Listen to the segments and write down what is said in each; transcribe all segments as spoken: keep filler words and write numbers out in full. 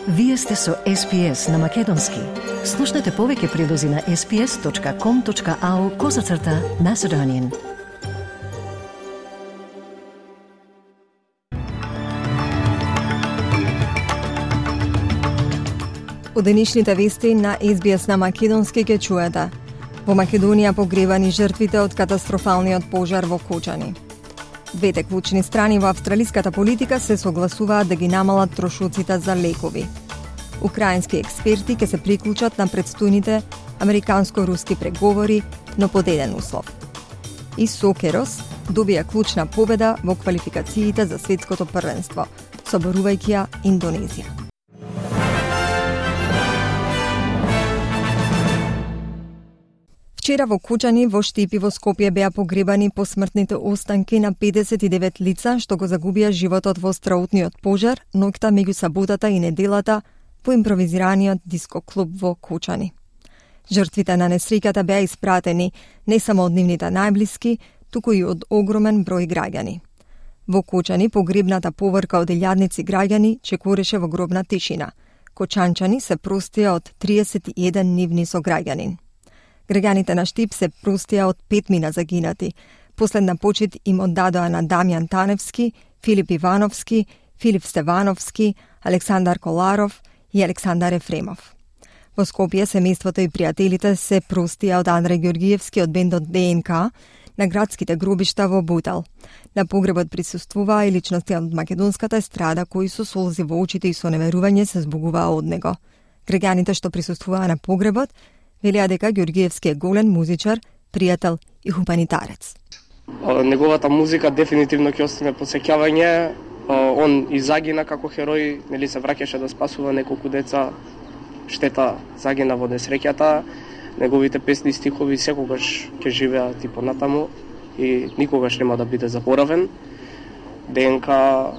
Вие сте со Ес Пи Ес на Македонски. Слушнете повеќе прилози на ес пи ес точка ком точка ау козацрта Macedonian. У денешните вести на Ес Би Ес на Македонски ќе чуете: во Македонија погребани жртвите од катастрофалниот пожар во Кочани. Двете клучни страни во австралиската политика се согласуваат да ги намалат трошоците за лекови. Украински експерти ќе се приклучат на предстојните американско-руски преговори, но под еден услов. И Сокерос добија клучна победа во квалификациите за светското првенство, соборувајќи ја Индонезија. Вчера во Кочани, во Штип и во Скопје беа погребани посмртните останки на педесет и девет лица што го загубија животот во страутниот пожар ноќта меѓу саботата и неделата во импровизираниот диско клуб во Кочани. Жртвите на несреќата беа испратени не само од нивните најблиски, туку и од огромен број граѓани. Во Кочани погребната поврка од илјадници граѓани чекореше во гробна тишина. Кочанчани се простија од триесет и еден нивни сограѓанин. Граѓаните на Штип се простија од пет мина загинати. Последна почит им оддадоа на Дамјан Таневски, Филип Ивановски, Филип Стевановски, Александар Коларов и Александар Ефремов. Во Скопје семејството и пријателите се простија од Андреј Ѓоргиевски од бендот Де Ен Ка на градските гробишта во Бутел. На погребот присуствуваа и личности од македонската естрада кои со солзи во очите и со неверување се збогуваа од него. Граѓаните што присуствуваа на погребот велеа дека Ѓоргиевски е голем музичар, пријател и хуманитарец. Неговата музика дефинитивно ќе остане посеќавање. Он и загина како херој, нели се враќаше да спасува неколку деца. Штета, загина во несреќата. Неговите песни и стихови секогаш ќе живеат и понатаму и никогаш нема да биде заборавен. Де Ен Ка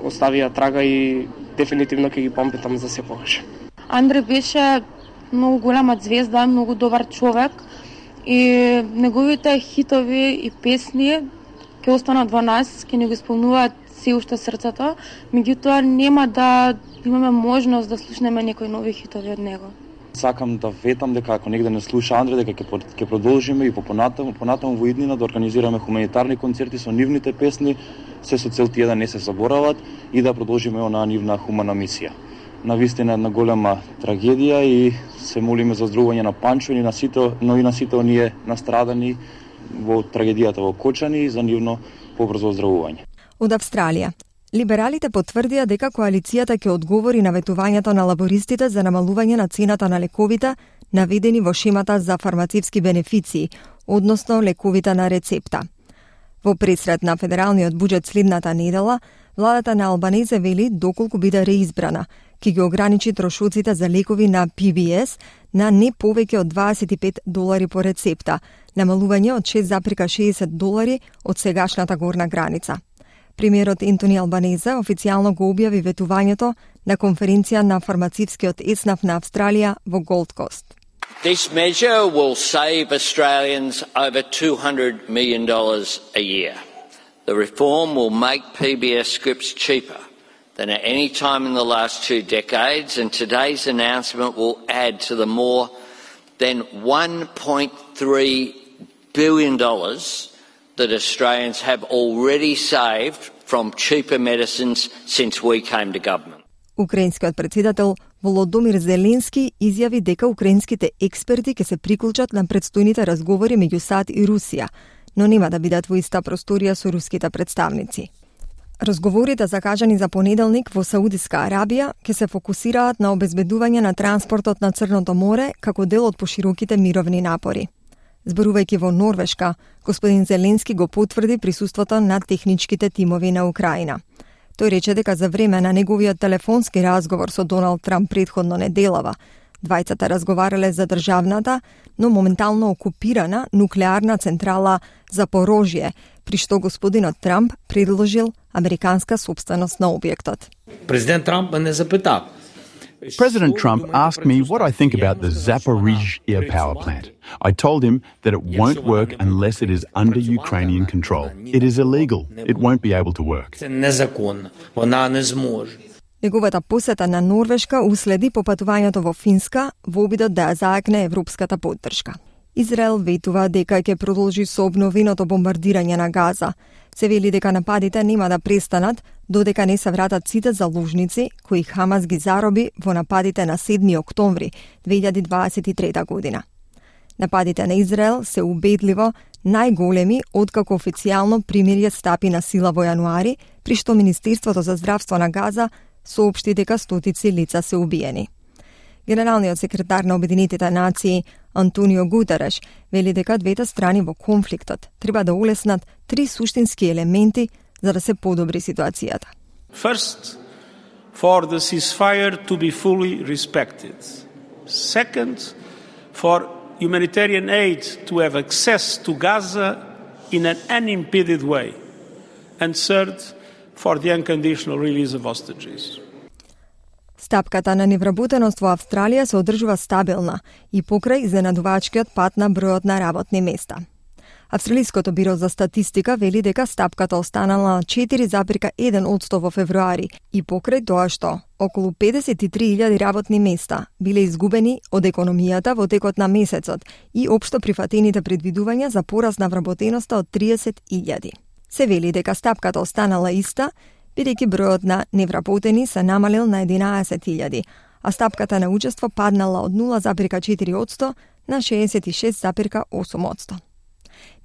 оставија трага и дефинитивно ќе ги памтам за секогаш. Андре беше многу голема звезда, многу добар човек и неговите хитови и песни ќе останат во нас, ќе ни го исполнуваат се уште срцето, меѓутоа нема да имаме можност да слушнеме некои нови хитови од него. Сакам да ветам дека ако негде не слуша Андре, дека ќе ќе продолжиме и по понатаму, понатаму во иднина да организираме хуманитарни концерти со нивните песни, се со цел тие да не се заборават и да продолжиме онаа нивна хумана мисија. Навистина една голема трагедија и се молиме за оздравување на Панчо и на сите, но и на сите оние настрадани во трагедијата во Кочани и за нивно побрзо оздравување. Од Австралија. Либералите потврдија дека коалицијата ќе одговори на ветувањето на лабористите за намалување на цената на лековите наведени во шемата за фармацевски бенефиции, односно лековите на рецепта. Во пресред на федералниот буџет следната недела, владата на Албанезе вели доколку биде реизбрана, ќе ги ограничи трошоците за лекови на Пи Би Ес на не повеќе од дваесет и пет долари по рецепта, намалување од шест зарез шеесет долари од сегашната горна граница. Премиерот Ентони Албанезе официјално го објави ветувањето на конференција на фармацевскиот еснав на Австралија во Голд Кост. This measure will save Australians over two hundred million dollars a year. The reform will make P B S scripts cheaper than at any time in the last two decades, and today's announcement will add to the more than one point three billion dollars that Australians have already saved from cheaper medicines since we came to government. Украинскиот председател Володомир Зеленски изјави дека украинските експерти ќе се приклучат на предстојните разговори меѓу САД и Русија, но нема да бидат во иста просторија со руските представници. Разговорите закажани за понеделник во Саудиска Арабија ќе се фокусираат на обезбедување на транспортот на Црното море како дел од пошироките мировни напори. Зборувајќи во Норвешка, господин Зеленски го потврди присуството на техничките тимови на Украина. Тој рече дека за време на неговиот телефонски разговор со Доналд Трамп претходно неделава, двајцата разговарале за државната, но моментално окупирана нуклеарна централа Запорожје, при што господинот Трамп предложил американска собственост на објектот. Президент Трамп ме запита. President Trump asked me what I think about the Zaporizhzhia power plant. I told him that it won't work unless it is under Ukrainian control. It is illegal. It won't be able to work. Це незаконно. Вона не зможе. Неговата посета на Норвешка уследи попатувањето во Финска во обидот да ја заакне европската поддршка. Израел ветува дека ќе продолжи со обновеното бомбардирање на Газа. Се вели дека нападите нема да престанат додека не се вратат сите заложници кои Хамас ги зароби во нападите на седми октомври две илјади дваесет и трета година. Нападите на Израел се убедливо најголеми откако официјално примирје стапи на сила во јануари, при што Министерството за здравство на Газа соопшти дека стотици лица се убиени. Генералниот секретар на Обединетите нации Антонио Гутереш вели дека двете страни во конфликтот треба да улеснат три суштински елементи за да се подобри ситуацијата. First, for the ceasefire to be fully respected. Second, for humanitarian aid to have access to Gaza in an unimpeded way. And third, for the unconditional release of hostages. Стапката на невработеност во Австралија се одржува стабилна и покрај изненадувачкиот пат на бројот на работни места. Австралиското биро за статистика вели дека стапката останала на четири запирка еден одсто во февруари и покрај тоа што околу педесет и три илјади работни места биле изгубени од економијата во текот на месецот и општо прифатените предвидувања за пораст на вработеноста од триесет илјади. Се вели дека стапката останала иста, бидејќи бројот на невработени се намалил на единаесет илјади, а стапката на учество паднала од нула запирка четири одсто на шеесет и шест запирка осум одсто.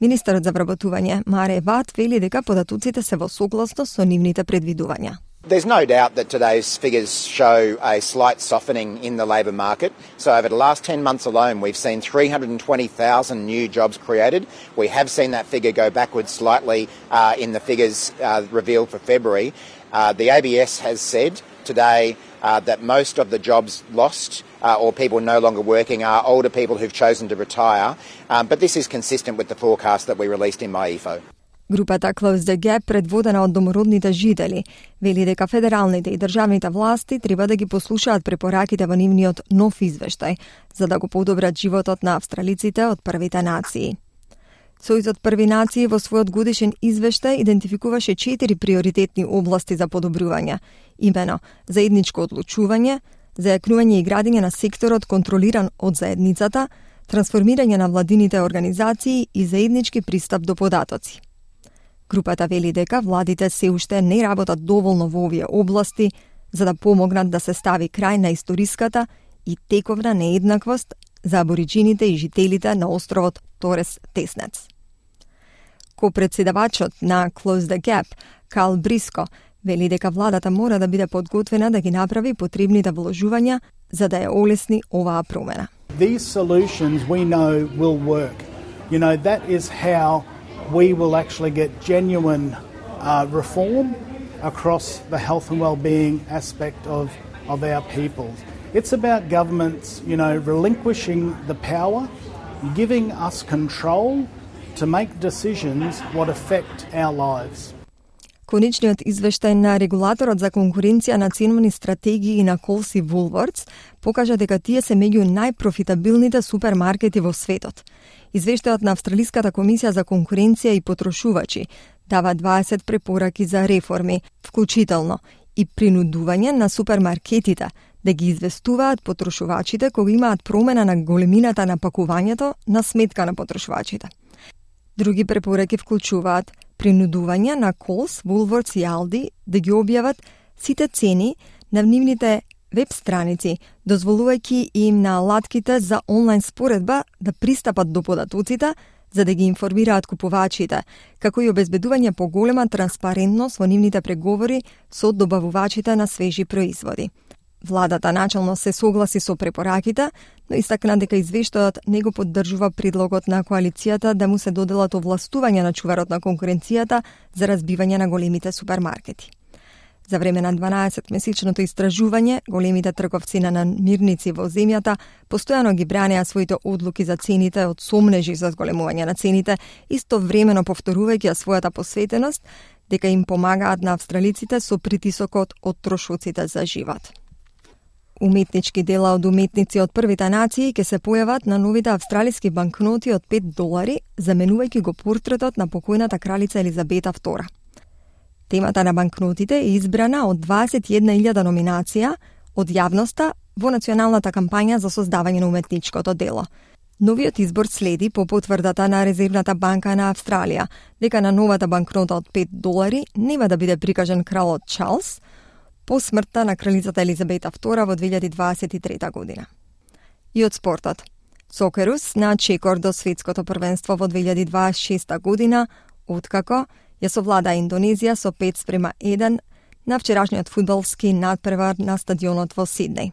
Министерот за вработување Маре Ват вели дека податоците се во согласност со нивните предвидувања. There's no doubt that today's figures show a slight softening in the labour market. So over the last ten months alone, we've seen three hundred twenty thousand new jobs created. We have seen that figure go backwards slightly uh, in the figures uh, revealed for February. Uh, the A B S has said today uh, that most of the jobs lost uh, or people no longer working are older people who've chosen to retire. Um, but this is consistent with the forecast that we released in my E F O. Групата Close the Gap, предводена од домородните жители, вели дека федералните и државните власти треба да ги послушаат препораките во нивниот нов извештај, за да го подобрат животот на австралиците од првите нации. Сојузот Први нации во својот годишен извештај идентификуваше четири приоритетни области за подобрување, имено заедничко одлучување, зајакнување и градење на секторот контролиран од заедницата, трансформирање на владините организации и заеднички пристап до податоци. Групата вели дека владите се уште не работат доволно во овие области за да помогнат да се стави крај на историската и тековна нееднаквост за абориджините и жителите на островот Торес Теснец. Ко-председавачот на Close the Gap, Кал Бриско, вели дека владата мора да биде подготвена да ги направи потребните вложувања за да ја олесни оваа промена. These solutions we know will work. You know, that is how we will actually get genuine uh, reform across the health and well-being aspect of, of our people. It's about governments, you know, relinquishing the power, giving us control to make decisions what affect our lives. Конечниот извештај на регулаторот за конкуренција на ценовни стратегии на Coles и Woolworths покажа дека тие се меѓу најпрофитабилните супермаркети во светот. Извештајот на Австралиската комисија за конкуренција и потрошувачи дава дваесет препораки за реформи, вклучително и принудување на супермаркетите да ги известуваат потрошувачите кога имаат промена на големината на пакувањето на сметка на потрошувачите. Други препораки вклучуваат принудување на Coles, Woolworths и Aldi да ги објават сите цени на нивните веб страници, дозволувајќи им на алатките за онлайн споредба да пристапат до податоците за да ги информираат купувачите, како и обезбедување поголема транспарентност во нивните преговори со добавувачите на свежи производи. Владата начално се согласи со препораките, но истакна дека извештајот не го поддржува предлогот на коалицијата да му се доделат овластување на чуварот на конкуренцијата за разбивање на големите супермаркети. За време на дванаесетмесечното истражување, големите трговци на намирници во земјата постојано ги бранеа своите одлуки за цените од сомнежи за зголемување на цените, истовремено повторувајќи својата посветеност дека им помагаат на австралиците со притисокот од трошоците за живот. Уметнички дела од уметници од првите нации ќе се појават на новите австралиски банкноти од пет долари, заменувајќи го портретот на покојната кралица Елизабета втора. Темата на банкнотите е избрана од дваесет и една илјада номинација од јавноста во националната кампања за создавање на уметничкото дело. Новиот избор следи по потврдата на Резервната банка на Австралија дека на новата банкнота од пет долари нема да биде прикажан кралот Чарлс по смртта на кралицата Елизабета втора во две илјади дваесет и трета година. И од спортот. Сокерус на чекор до светското првенство во две илјади дваесет и шеста година, откако ја совлада Индонезија со пет спрема еден на вчерашниот фудбалски надпревар на стадионот во Сиднеј.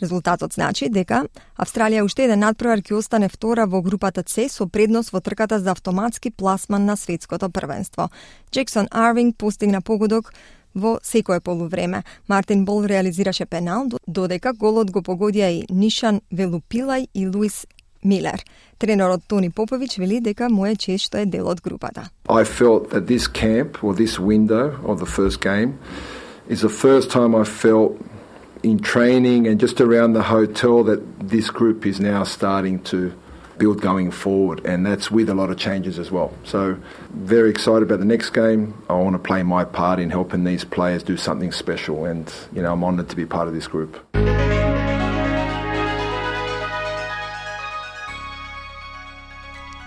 Резултатот значи дека Австралија уште еден надпревар ќе остане втора во групата С со предност во трката за автоматски пласман на светското првенство. Джексон Арвинг постигна погодок во секое полувреме. Мартин Бол реализираше пенал, додека голот го погодија и Нишан Велупилај и Луис Милер. Тренерот Тони Попович вели дека му е чест што е дел од групата. I felt that this camp or this window of the first game is the first time I felt in training and just around the hotel that this group is now starting to build going forward, and that's with a lot of changes as well. So very excited about the next game. I want to play my part in helping these players do something special, and you know I'm honoured to be part of this group.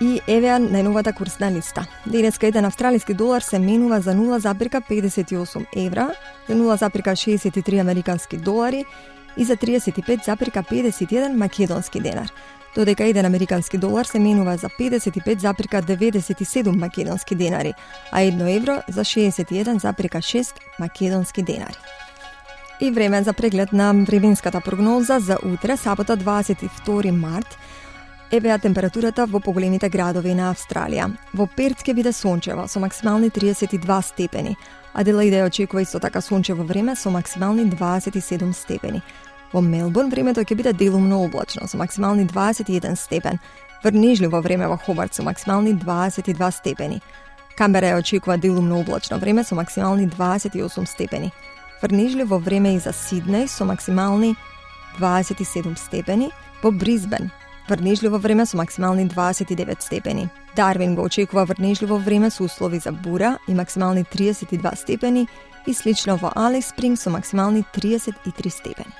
И еве најновата курсна листа. Денеска еден австралиски долар се менува за нула запирка педесет и осум евра, за нула запирка шеесет и три американски долари и за триесет и пет запирка педесет и еден македонски денар. Додека еден американски долар се менува за педесет и пет запирка деветдесет и седум македонски денари, а едно евро за шеесет и еден запирка шест македонски денари. И време за преглед на временската прогноза за утре, сабота дваесет и втори март, евеа температурата во поголемите градови на Австралија. Во Перт ќе биде сончево со максимални триесет и два степени. Аделаида ја очекува исто така сончево време со максимални дваесет и седум степени. Во Мелбурн времето ќе биде делумно облачно со максимални дваесет и еден степен. Врнежливо време во Хобарт со максимални дваесет и два степени. Камбера ја очекува делумно облачно време со максимални дваесет и осум степени. Врнежливо време и за Сиднеј со максимални дваесет и седум степени. Во Брисбен врнежливо време со максимални дваесет и девет степени. Дарвин го очекува врнежливо време со услови за бура и максимални триесет и два степени и слично во Алис Спринг со максимални триесет и три степени.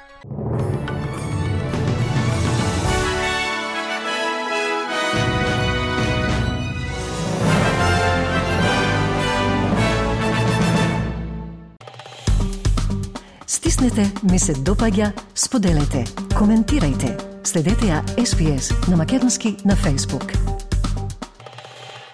Стиснете, ми се допаѓа, споделете, коментирајте. Следете ја Ес Би Ес на македонски на Facebook.